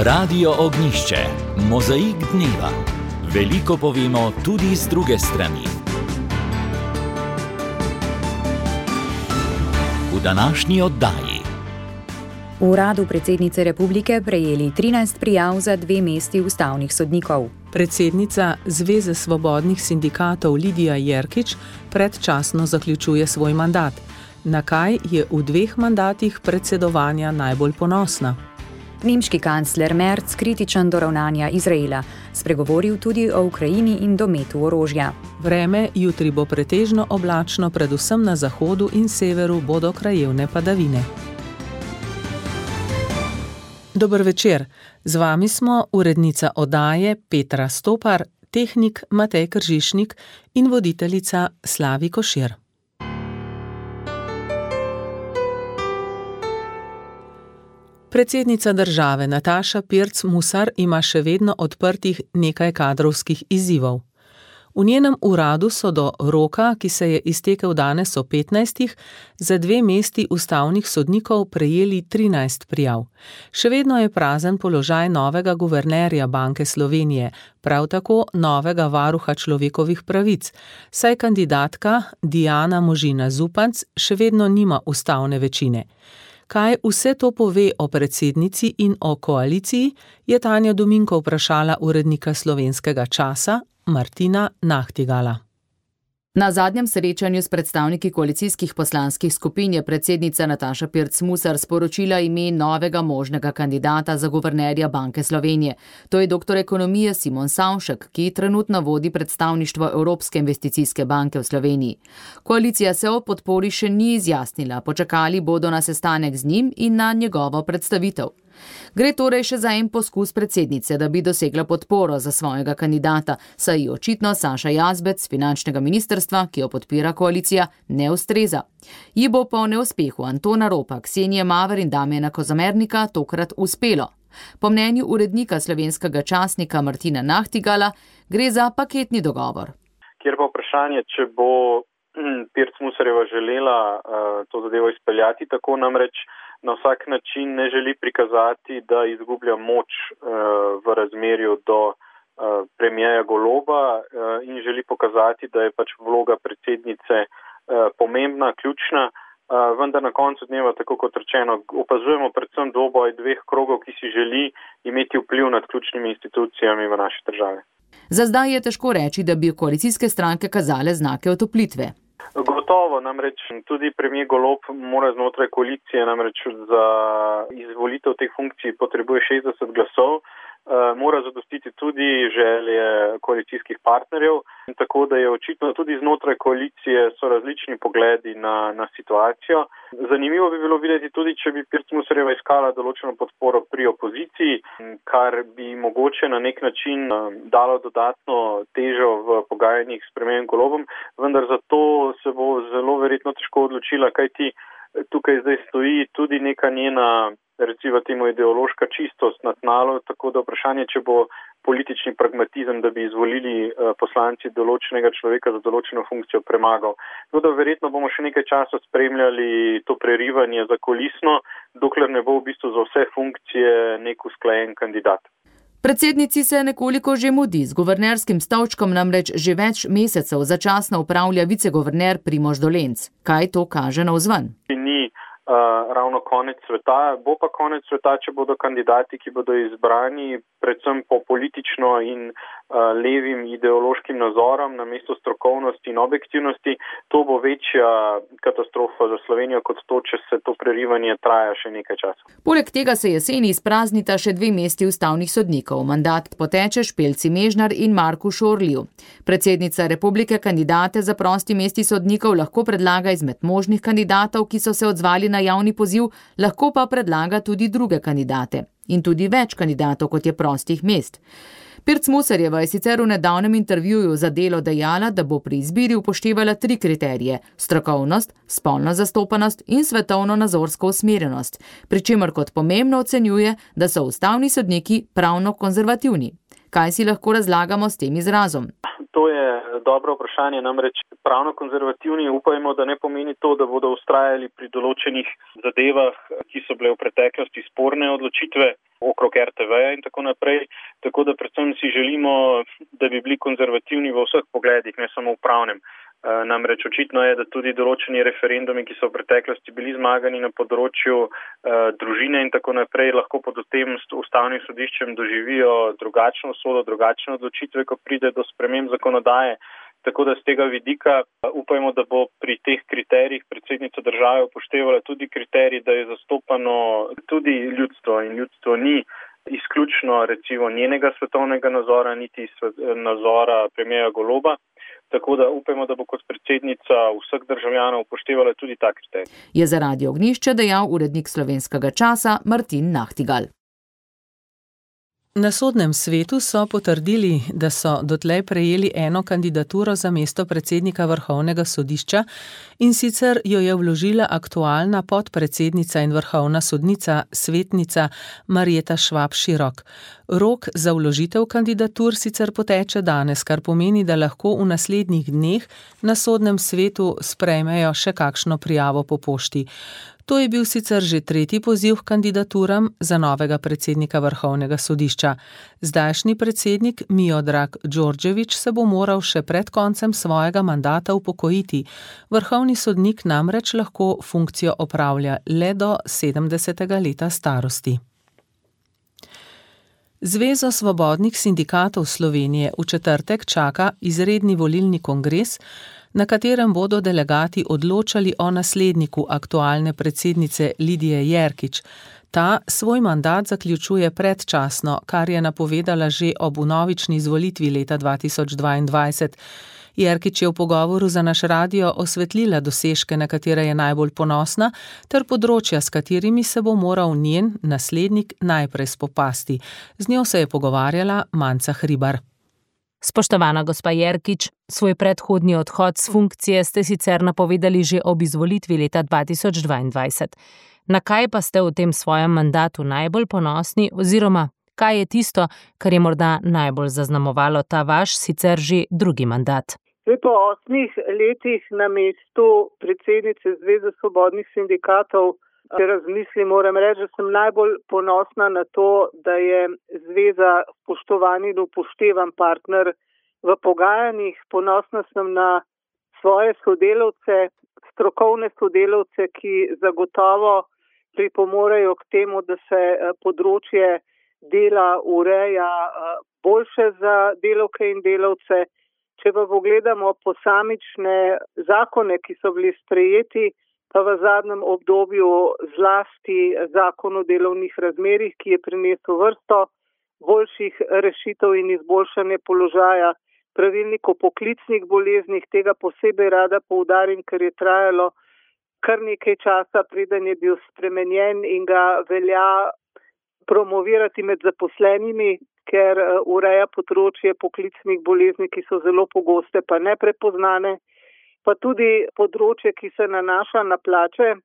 Radio Ognjišče, mozaik dneva. Veliko povemo tudi z druge strani. V današnji oddaji. V uradu predsednice republike prejeli 13 prijav za 2 mesti ustavnih sodnikov. Predsednica Zveze svobodnih sindikatov Lidija Jerkič predčasno zaključuje svoj mandat. Na kaj je v 2 mandatih predsedovanja najbolj ponosna? Nemški kancler Merz kritičen do ravnanja Izraela, spregovoril tudi o Ukrajini in dometu orožja. Vreme jutri bo pretežno oblačno, predvsem na zahodu in severu bodo krajevne padavine. Dober večer, z vami smo urednica oddaje Petra Stopar, tehnik Matej Kržišnik in voditeljica Slavi Košir. Predsednica države Nataša Pirc Musar ima še vedno odprtih nekaj kadrovskih izzivov. V njenem uradu so do roka, ki se je iztekel danes o 15, za 2 mesti ustavnih sodnikov prejeli 13 prijav. Še vedno je prazen položaj novega guvernerja Banke Slovenije, prav tako novega varuha človekovih pravic, saj kandidatka Dijana Možina Zupanc še vedno nima ustavne večine. Kaj vse to pove o predsednici in o koaliciji, je Tanja Dominko vprašala urednika Slovenskega časa Martina Nahtigala. Na zadnjem srečanju s predstavniki koalicijskih poslanskih skupin je predsednica Nataša Pirc Musar sporočila ime novega možnega kandidata za guvernerja Banke Slovenije. To je doktor ekonomije Simon Savšek, ki trenutno vodi predstavništvo Evropske investicijske banke v Sloveniji. Koalicija se o podpori še ni izjasnila, počakali bodo na sestanek z njim in na njegovo predstavitev. Gre torej še za en poskus predsednice, da bi dosegla podporo za svojega kandidata, saj ji očitno Saša Jazbec z finančnega ministrstva, ki jo podpira koalicija, ne ustreza. Ji bo po neuspehu Antona Ropa, Ksenije Maver in Damjana Kozamernika tokrat uspelo. Po mnenju urednika Slovenskega časnika Martina Nahtigala gre za paketni dogovor. Kjer pa vprašanje, če bo Pirc Musarjeva želela to zadevo izpeljati, tako namreč na vsak način ne želi prikazati, da izgublja moč v razmerju do premierja Goloba in želi pokazati, da je pač vloga predsednice pomembna, ključna, vendar na koncu dneva, tako kot rečeno, opazujemo predvsem dvoboj 2 krogov, ki si želi imeti vpliv nad ključnimi institucijami v naši državi. Za zdaj je težko reči, da bi koalicijske stranke kazale znake otoplitve. Gotovo, namreč tudi premier Golob mora znotraj koalicije, namreč za izvolitev teh funkcij potrebuje 60 glasov, mora zadostiti tudi želje koalicijskih partnerjev, in tako da je očitno tudi znotraj koalicije so različni pogledi na situacijo. Zanimivo bi bilo videti tudi, če bi Pirc Musarjeva iskala določeno podporo pri opoziciji, kar bi mogoče na nek način dalo dodatno težo v pogajanjih s premierjem Golobom, vendar zato se bo zelo verjetno težko odločila, kajti tukaj zdaj stoji tudi neka njena, recimo temu, ideološka čistost na tnalu, tako da vprašanje, če bo politični pragmatizem, da bi izvolili poslanci določenega človeka za določeno funkcijo, premagal. Tako da verjetno bomo še nekaj časa spremljali to prerivanje zakulisno, dokler ne bo v bistvu za vse funkcije nek usklajen kandidat. Predsednici se nekoliko že mudi, z guvernerskim stolčkom namreč že več mesecev začasno upravlja viceguverner Primož Dolenc. Kaj to kaže navzven? Ni ravno konec sveta, bo pa konec sveta, če bodo kandidati, ki bodo izbrani predvsem po politično in levim ideološkim nazorom namesto strokovnosti in objektivnosti. To bo večja katastrofa za Slovenijo kot to, če se to prerivanje traja še nekaj časa. Poleg tega se jeseni izpraznita še 2 mesti ustavnih sodnikov. Mandat poteče Špelci Mežnar in Marku Šorliju. Predsednica republike kandidate za prosti mesti sodnikov lahko predlaga izmed možnih kandidatov, ki so se odzvali na javni poziv, lahko pa predlaga tudi druge kandidate. In tudi več kandidatov, kot je prostih mest. Pirc Musarjeva je sicer v nedavnem intervjuju za Delo dejala, da bo pri izbiri upoštevala 3 kriterije: strokovnost, spolno zastopanost in svetovno-nazorsko usmerjenost, pri čemer kot pomembno ocenjuje, da so ustavni sodniki pravno konzervativni. Kaj si lahko razlagamo s tem izrazom? To je dobro vprašanje, namreč pravno konzervativni upajmo, da ne pomeni to, da bodo vztrajali pri določenih zadevah, ki so bile v preteklosti sporne odločitve. okrog RTV-ja in tako naprej. Tako da predvsem si želimo, da bi bili konzervativni v vseh pogledih, ne samo v pravnem. Namreč očitno je, da tudi določeni referendumi, ki so v preteklosti bili zmagani na področju družine in tako naprej, lahko pod tem ustavnim sodiščem doživijo drugačno usodo, drugačne odločitve, ko pride do sprememb zakonodaje. Tako da z tega vidika upajmo, da bo pri teh kriterijih predsednica države upoštevala tudi kriterij, da je zastopano tudi ljudstvo in ljudstvo ni izključno recimo njenega svetovnega nazora, niti nazora premierja Goloba. Tako da upajmo, da bo kot predsednica vseh državljanov upoštevala tudi ta kriterij. Je za Radio Ognjišče dejal urednik Slovenskega časa Martin Nahtigal. Na sodnem svetu so potrdili, da so dotlej prejeli eno kandidaturo za mesto predsednika Vrhovnega sodišča, in sicer jo je vložila aktualna podpredsednica in vrhovna sodnica, svetnica Marjeta Švab Širok. Rok za vložitev kandidatur sicer poteče danes, kar pomeni, da lahko v naslednjih dneh na sodnem svetu sprejmejo še kakšno prijavo po pošti. To je bil sicer že tretji poziv k kandidaturam za novega predsednika Vrhovnega sodišča. Zdajšnji predsednik Miodrag Đorđević se bo moral še pred koncem svojega mandata upokojiti. Vrhovni sodnik namreč lahko funkcijo opravlja le do 70. leta starosti. Zvezo svobodnih sindikatov Slovenije v četrtek čaka izredni volilni kongres, na katerem bodo delegati odločali o nasledniku aktualne predsednice Lidije Jerkič. Ta svoj mandat zaključuje predčasno, kar je napovedala že ob vnovični izvolitvi leta 2022. Jerkič je v pogovoru za naš radio osvetlila dosežke, na katere je najbolj ponosna, ter področja, s katerimi se bo moral njen naslednik najprej spopasti. Z njo se je pogovarjala Manca Hribar. Spoštovana gospa Jerkič, svoj predhodni odhod s funkcije ste sicer napovedali že ob izvolitvi leta 2022. Na kaj pa ste v tem svojem mandatu najbolj ponosni oziroma kaj je tisto, kar je morda najbolj zaznamovalo ta vaš sicer že drugi mandat? Po 8 letih na mestu predsednice Zveze svobodnih sindikatov, če razmislim, moram reči, da sem najbolj ponosna na to, da je zveza spoštovan in upoštevan partner v pogajanjih. Ponosna sem na svoje sodelavce, strokovne sodelavce, ki zagotovo pripomorejo k temu, da se področje dela ureja boljše za delavke in delavce. Če pa pogledamo posamične zakone, ki so bili sprejeti, pa v zadnjem obdobju zlasti zakon o delovnih razmerjih, ki je prinesel vrsto boljših rešitev in izboljšanje položaja, pravilnik o poklicnih boleznih, tega posebej rada poudarim, ker je trajalo kar nekaj časa, preden je bil spremenjen in ga velja promovirati med zaposlenimi, ker ureja področje poklicnih bolezni, ki so zelo pogoste pa neprepoznane, pa tudi področje, ki se nanaša na plače.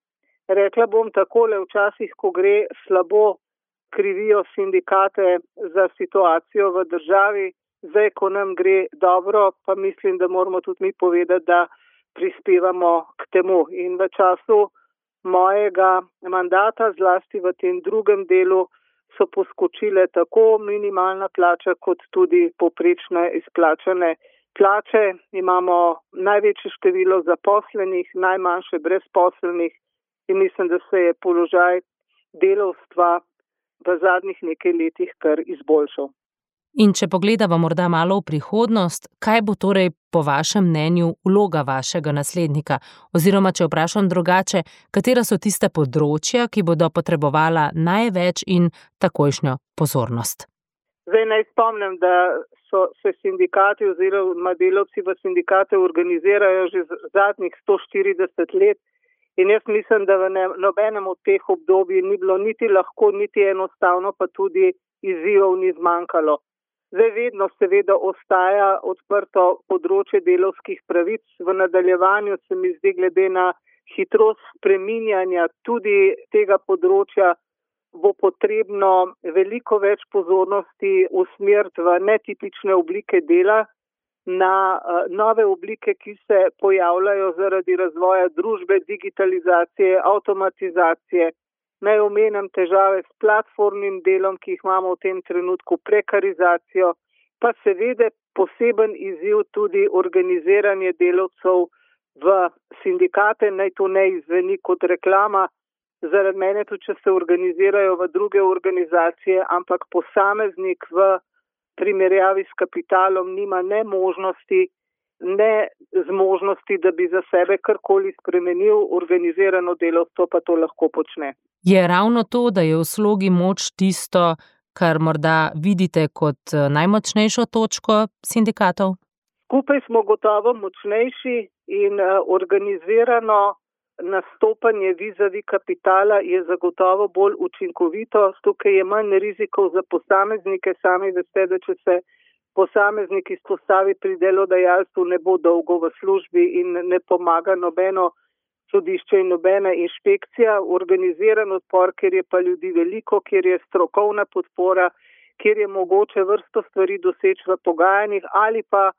Rekla bom takole, včasih, ko gre slabo, krivijo sindikate za situacijo v državi, zdaj, ko nam gre dobro, pa mislim, da moramo tudi mi povedati, da prispevamo k temu. In v času mojega mandata, zlasti v tem drugem delu, so poskočile tako minimalna plača, kot tudi povprečne izplačane plače. Imamo največje število zaposlenih, najmanjše brezposelnih in mislim, da se je položaj delavstva v zadnjih nekaj letih kar izboljšal. In če pogledamo morda malo v prihodnost, kaj bo torej po vašem mnenju vloga vašega naslednika? Oziroma, če vprašam drugače, katera so tiste področja, ki bodo potrebovala največ in takojšnjo pozornost? Zdaj naj spomnim, da so se sindikati oziroma delavci v sindikate organizirajo že zadnjih 140 let in jaz mislim, da v nobenem od teh obdobij ni bilo niti lahko, niti enostavno, pa tudi izzivov ni zmanjkalo. Zdaj vedno seveda ostaja odprto področje delavskih pravic. V nadaljevanju se mi zdi glede na hitrost spreminjanja tudi tega področja bo potrebno veliko več pozornosti usmeriti v netipične oblike dela, na nove oblike, ki se pojavljajo zaradi razvoja družbe, digitalizacije, avtomatizacije. Naj omenim težave s platformnim delom, ki jih imamo v tem trenutku, prekarizacijo, pa seveda poseben izziv tudi organiziranje delavcev v sindikate, naj to ne izveni kot reklama, zaradi mene tudi, če se organizirajo v druge organizacije, ampak posameznik v primerjavi s kapitalom nima ne možnosti, ne zmožnosti, da bi za sebe karkoli spremenil, organizirano delavstvo pa to lahko počne. Je ravno to, da je v slogi moč tisto, kar morda vidite kot najmočnejšo točko sindikatov? Skupaj smo gotovo močnejši in organizirano nastopanje vizavi kapitala je zagotovo bolj učinkovito. Tukaj je manj rizikov za posameznike. Sami veste, da če se posameznik izpostavi pri delodajalstvu, ne bo dolgo v službi in ne pomaga nobeno sodišče in nobena inšpekcija. Organiziran odpor, kjer je pa ljudi veliko, kjer je strokovna podpora, kjer je mogoče vrsto stvari doseči v pogajanjih ali pa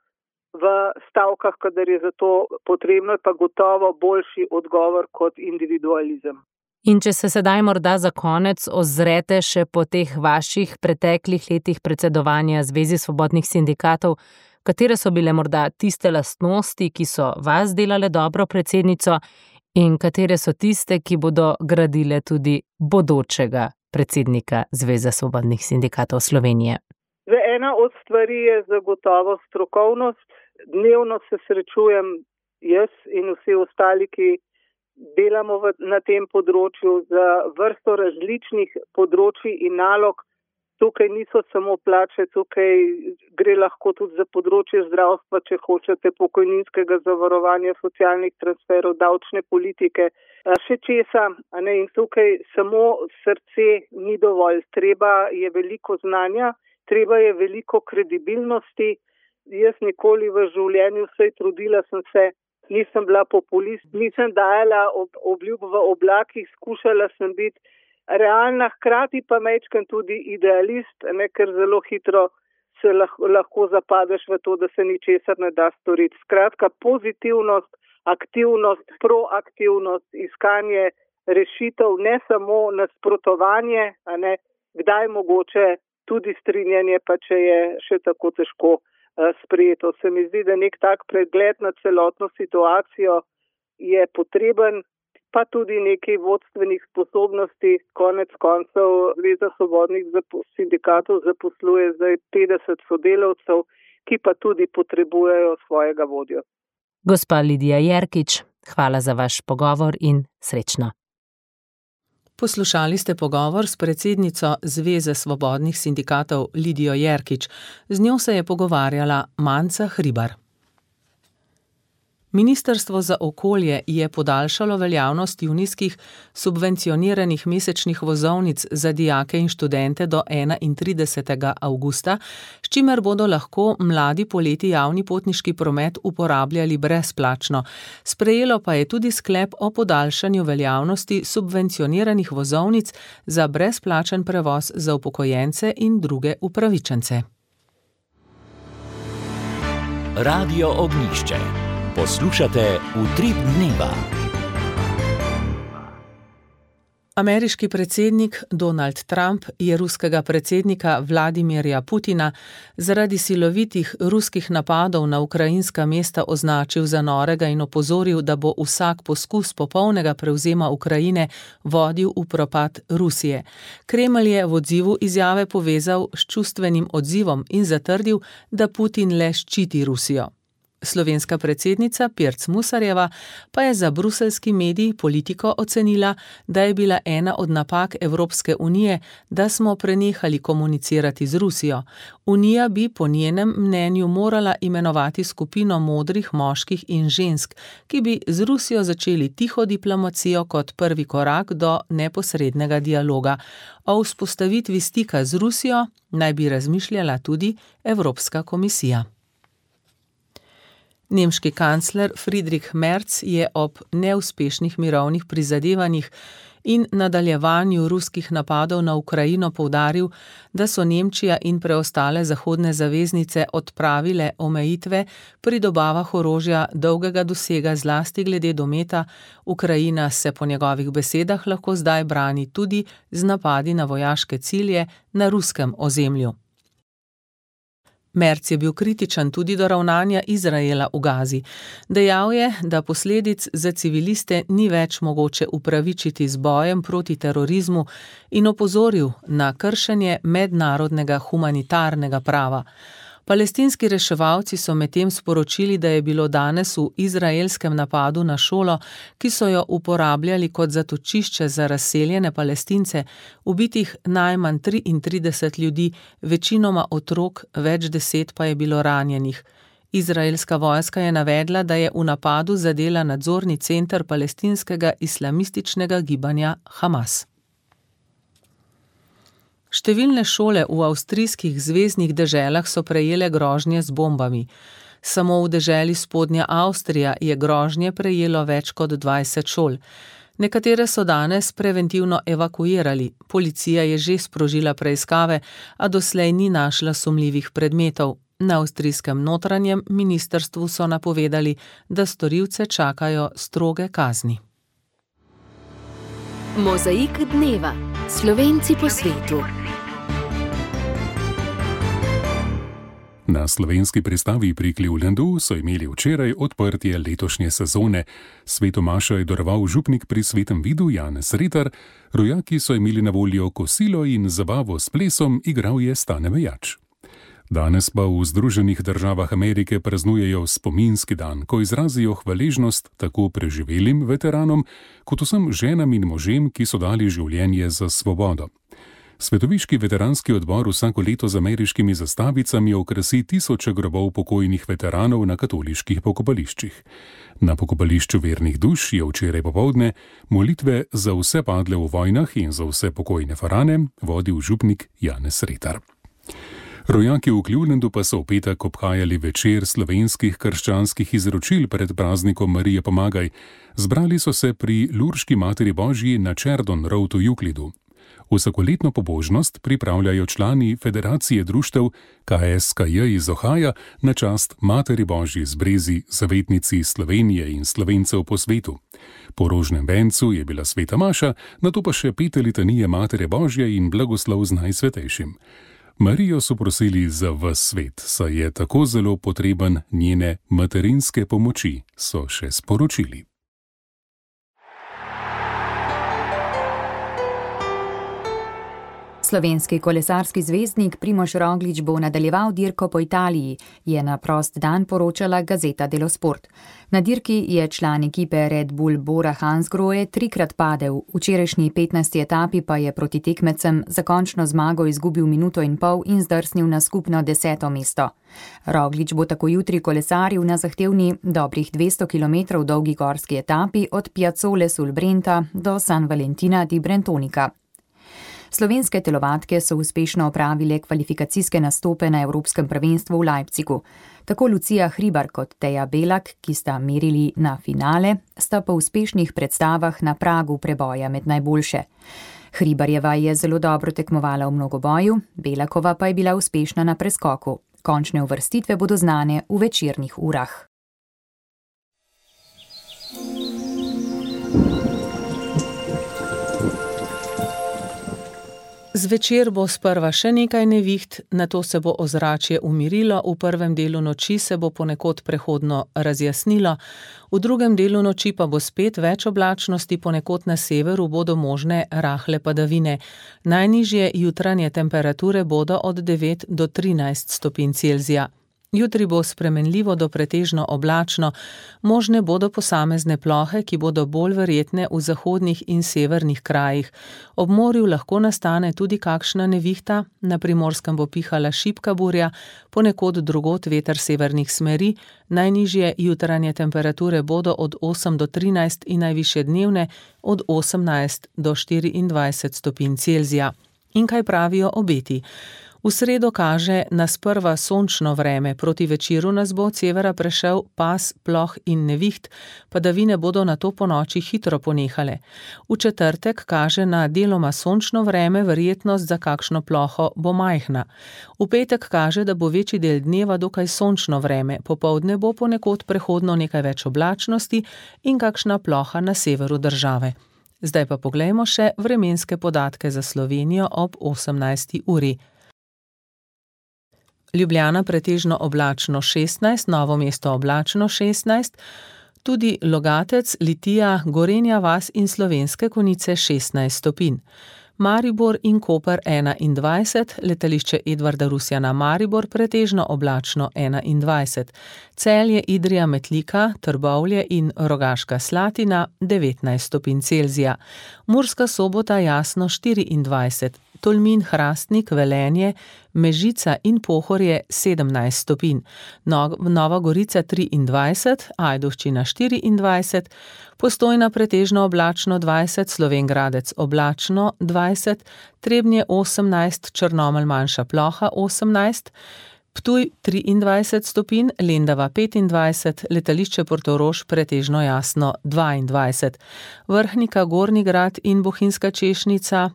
v stavkah, kadar je za to potrebno, pa gotovo boljši odgovor kot individualizem. In če se sedaj morda za konec ozrete še po teh vaših preteklih letih predsedovanja Zvezi svobodnih sindikatov, katere so bile morda tiste lastnosti, ki so vas delale dobro predsednico in katere so tiste, ki bodo gradile tudi bodočega predsednika Zveze svobodnih sindikatov Slovenije? Ena od stvari je zagotovo strokovnost. Dnevno se srečujem jaz in vsi ostali, ki delamo na tem področju za vrsto različnih področij in nalog. Tukaj niso samo plače, tukaj gre lahko tudi za področje zdravstva, če hočete, pokojninskega zavarovanja, socialnih transferov, davčne politike, še česa. In tukaj samo srce ni dovolj. Treba je veliko znanja, treba je veliko kredibilnosti. Jaz nikoli v življenju, vsej trudila sem se, nisem bila populist, nisem dajala obljub v oblakih, skušala sem biti realna, hkrati pa majčkeno tudi idealist, ker zelo hitro se lahko zapadeš v to, da se ničesar ne da storiti. Skratka, pozitivnost, aktivnost, proaktivnost, iskanje rešitev, ne samo nasprotovanje, kdaj mogoče tudi strinjanje, pa če je še tako težko sprejeto. Se mi zdi, da nek tak pregled na celotno situacijo je potreben, pa tudi nekaj vodstvenih sposobnosti. Konec koncev Zveza svobodnih sindikatov zaposluje zdaj 50 sodelavcev, ki pa tudi potrebujejo svojega vodjo. Gospa Lidija Jerkič, hvala za vaš pogovor in srečno. Poslušali ste pogovor s predsednico Zveze svobodnih sindikatov Lidijo Jerkič. Z njo se je pogovarjala Manca Hribar. Ministrstvo za okolje je podaljšalo veljavnost junijskih subvencioniranih mesečnih vozovnic za dijake in študente do 31. avgusta, s čimer bodo lahko mladi poleti javni potniški promet uporabljali brezplačno. Sprejelo pa je tudi sklep o podaljšanju veljavnosti subvencioniranih vozovnic za brezplačen prevoz za upokojence in druge upravičence. Radio Ognjišče. Poslušate Utrip dneva. Ameriški predsednik Donald Trump je ruskega predsednika Vladimirja Putina zaradi silovitih ruskih napadov na ukrajinska mesta označil za norega in opozoril, da bo vsak poskus popolnega prevzema Ukrajine vodil v propad Rusije. Kremelj je v odzivu izjave povezal s čustvenim odzivom in zatrdil, da Putin le ščiti Rusijo. Slovenska predsednica Pirc Musarjeva pa je za bruseljski medij Politiko ocenila, da je bila ena od napak Evropske unije, da smo prenehali komunicirati z Rusijo. Unija bi po njenem mnenju morala imenovati skupino modrih moških in žensk, ki bi z Rusijo začeli tiho diplomacijo kot prvi korak do neposrednega dialoga. O vzpostavitvi stika z Rusijo naj bi razmišljala tudi Evropska komisija. Nemški kancler Friedrich Merz je ob neuspešnih mirovnih prizadevanjih in nadaljevanju ruskih napadov na Ukrajino poudaril, da so Nemčija in preostale zahodne zaveznice odpravile omejitve pri dobavah orožja dolgega dosega zlasti glede dometa, Ukrajina se po njegovih besedah lahko zdaj brani tudi z napadi na vojaške cilje na ruskem ozemlju. Merz je bil kritičen tudi do ravnanja Izraela v Gazi. Dejal je, da posledic za civiliste ni več mogoče upravičiti z bojem proti terorizmu in opozoril na kršenje mednarodnega humanitarnega prava. Palestinski reševalci so medtem sporočili, da je bilo danes v izraelskem napadu na šolo, ki so jo uporabljali kot zatočišče za razseljene Palestince, ubitih najmanj 33 ljudi, večinoma otrok, več 10 pa je bilo ranjenih. Izraelska vojska je navedla, da je v napadu zadela nadzorni center palestinskega islamističnega gibanja Hamas. Številne šole v avstrijskih zveznih deželah so prejele grožnje z bombami. Samo v deželi Spodnja Avstrija je grožnje prejelo več kot 20 šol. Nekatere so danes preventivno evakuirali. Policija je že sprožila preiskave, a doslej ni našla sumljivih predmetov. Na avstrijskem notranjem ministrstvu so napovedali, da storilce čakajo stroge kazni. Mozaik dneva. Slovenci po svetu. Na slovenski pristavi pri Clevelandu so imeli včeraj odprtje letošnje sezone. Svetomašo je daroval župnik pri Svetem vidu Janez Retar, rojaki so imeli na voljo kosilo in zabavo s plesom, igral je Stane Mejač. Danes pa v Združenih državah Amerike praznujejo spominski dan, ko izrazijo hvaležnost tako preživelim veteranom, kot vsem ženam in možem, ki so dali življenje za svobodo. Svetoviški veteranski odbor vsako leto z ameriškimi zastavicami okrasi tisoče grobov pokojnih veteranov na katoliških pokopališčih. Na pokopališču vernih duš je včeraj popoldne molitve za vse padle v vojnah in za vse pokojne farane vodil župnik Janez Retar. Rojaki v Clevelandu pa so v petek obhajali večer slovenskih krščanskih izročil pred praznikom Marije Pomagaj. Zbrali so se pri Lurški materi Božji na Cherdon Road v Euklidu. Vsakoletno pobožnost pripravljajo člani Federacije društev KSKJ iz Ohaja na čast Materi Božji z Brezi, zavetnici Slovenije in Slovencev po svetu. Po rožnem vencu je bila sveta maša, nato pa še 5 litanije Matere Božje in blagoslov z Najsvetejšim. Marijo so prosili za ves svet, saj je tako zelo potreben njene materinske pomoči, so še sporočili. Slovenski kolesarski zvezdnik Primož Roglič bo nadaljeval dirko po Italiji, je na prost dan poročala gazeta Delo Sport. Na dirki je član ekipe Red Bull Bora Hansgrohe 3-krat padel, v včerajšnji 15. etapi pa je proti tekmecem za končno zmago izgubil minuto in pol in zdrsnil na skupno 10. mesto. Roglič bo tako jutri kolesaril na zahtevni dobrih 200 km dolgi gorski etapi od Piazzole sul Brenta do San Valentina di Brentonica. Slovenske telovadke so uspešno opravile kvalifikacijske nastope na Evropskem prvenstvu v Leipzigu. Tako Lucija Hribar kot Teja Belak, ki sta merili na finale, sta po uspešnih predstavah na pragu preboja med najboljše. Hribarjeva je zelo dobro tekmovala v mnogoboju, Belakova pa je bila uspešna na preskoku. Končne uvrstitve bodo znane v večernih urah. Zvečer bo sprva še nekaj neviht, nato se bo ozračje umirilo, v prvem delu noči se bo ponekod prehodno razjasnilo, v drugem delu noči pa bo spet več oblačnosti, ponekod na severu bodo možne rahle padavine. Najnižje jutranje temperature bodo od 9 do 13 stopinj Celzija. Jutri bo spremenljivo do pretežno oblačno, možne bodo posamezne plohe, ki bodo bolj verjetne v zahodnih in severnih krajih. Ob morju lahko nastane tudi kakšna nevihta, na Primorskem bo pihala šibka burja, ponekod drugod veter severnih smeri, najnižje jutranje temperature bodo od 8 do 13 in najvišje dnevne od 18 do 24 stopinj Celzija. In kaj pravijo obeti? V sredo kaže na sprva sončno vreme, proti večeru nas bo od severa prešel pas, ploh in neviht, padavine bodo nato po noči hitro ponehale. V četrtek kaže na deloma sončno vreme, verjetnost za kakšno ploho bo majhna. V petek kaže, da bo večji del dneva dokaj sončno vreme, popoldne bo ponekod prehodno nekaj več oblačnosti in kakšna ploha na severu države. Zdaj pa poglejmo še vremenske podatke za Slovenijo ob 18. uri. Ljubljana pretežno oblačno 16, Novo mesto oblačno 16, tudi Logatec, Litija, Gorenja vas in Slovenske Konjice 16 stopinj. Maribor in Koper 21, letališče Edvarda Rusjana Maribor pretežno oblačno 21, Celje, Idrija, Metlika, Trbovlje in Rogaška Slatina 19 stopinj Celzija, Murska Sobota jasno 24, Tolmin, Hrastnik, Velenje, Mežica in Pohorje 17 stopinj, Nova Gorica 23, Ajdovščina 24, Postojna pretežno oblačno 20, Slovenj Gradec oblačno 20, Trebnje 18, Črnomelj manjša ploha 18, Ptuj 23 stopinj, Lendava 25, letališče Portorož pretežno jasno 22, Vrhnika, Gornji Grad in Bohinjska Češnica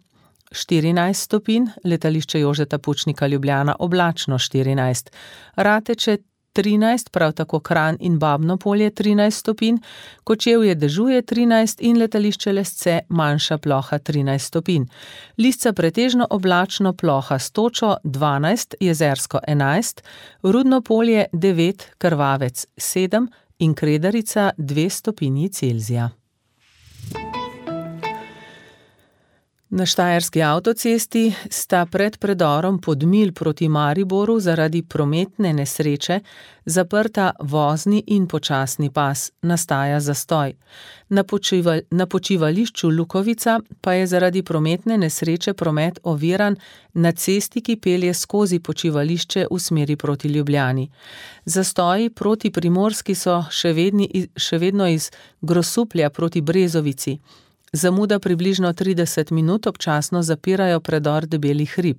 14 stopinj, letališče Jožeta Pučnika Ljubljana oblačno 14, Rateče 13, prav tako Kranj in Babno Polje 13 stopinj, Kočevje dežuje 13 in letališče Lesce manjša ploha 13 stopinj. Lisca pretežno oblačno, ploha s točo 12, Jezersko 11, Rudno Polje 9, Krvavec 7 in Kredarica 2 stopinji Celzija. Na Štajerski avtocesti sta pred predorom Podmilj proti Mariboru zaradi prometne nesreče zaprta vozni in počasni pas, nastaja zastoj. Na počivališču Lukovica pa je zaradi prometne nesreče promet oviran na cesti, ki pelje skozi počivališče v smeri proti Ljubljani. Zastoji proti Primorski so še vedno iz Grosuplja proti Brezovici. Zamuda približno 30 minut, občasno zapirajo predor Debeli hrib.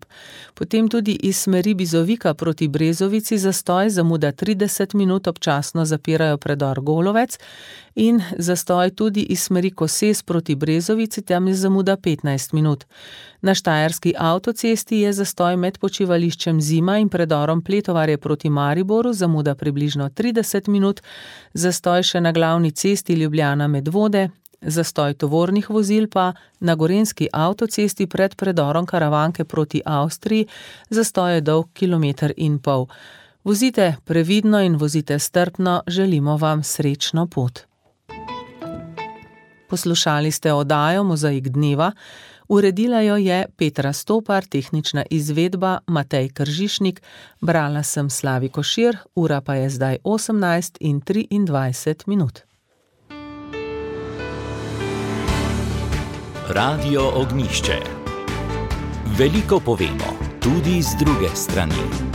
Potem tudi iz smeri Bizovika proti Brezovici zastoj, zamuda 30 minut, občasno zapirajo predor Golovec in zastoj tudi iz smeri Koses proti Brezovici, tam je zamuda 15 minut. Na Štajerski avtocesti je zastoj med počivališčem Zima in predorom Pletovarje proti Mariboru, zamuda približno 30 minut, zastoj še na glavni cesti Ljubljana Medvode, zastoj tovornih vozil pa na Gorenjski avtocesti pred predorom Karavanke proti Avstriji, zastoj je dolg 1,5 km. Vozite previdno in vozite strpno, želimo vam srečno pot. Poslušali ste oddajo Mozaik dneva, uredila jo je Petra Stopar, tehnična izvedba Matej Kržišnik, brala sem Slavi Košir, ura pa je zdaj 18:23. Radio Ognjišče. Veliko povemo, tudi z druge strani.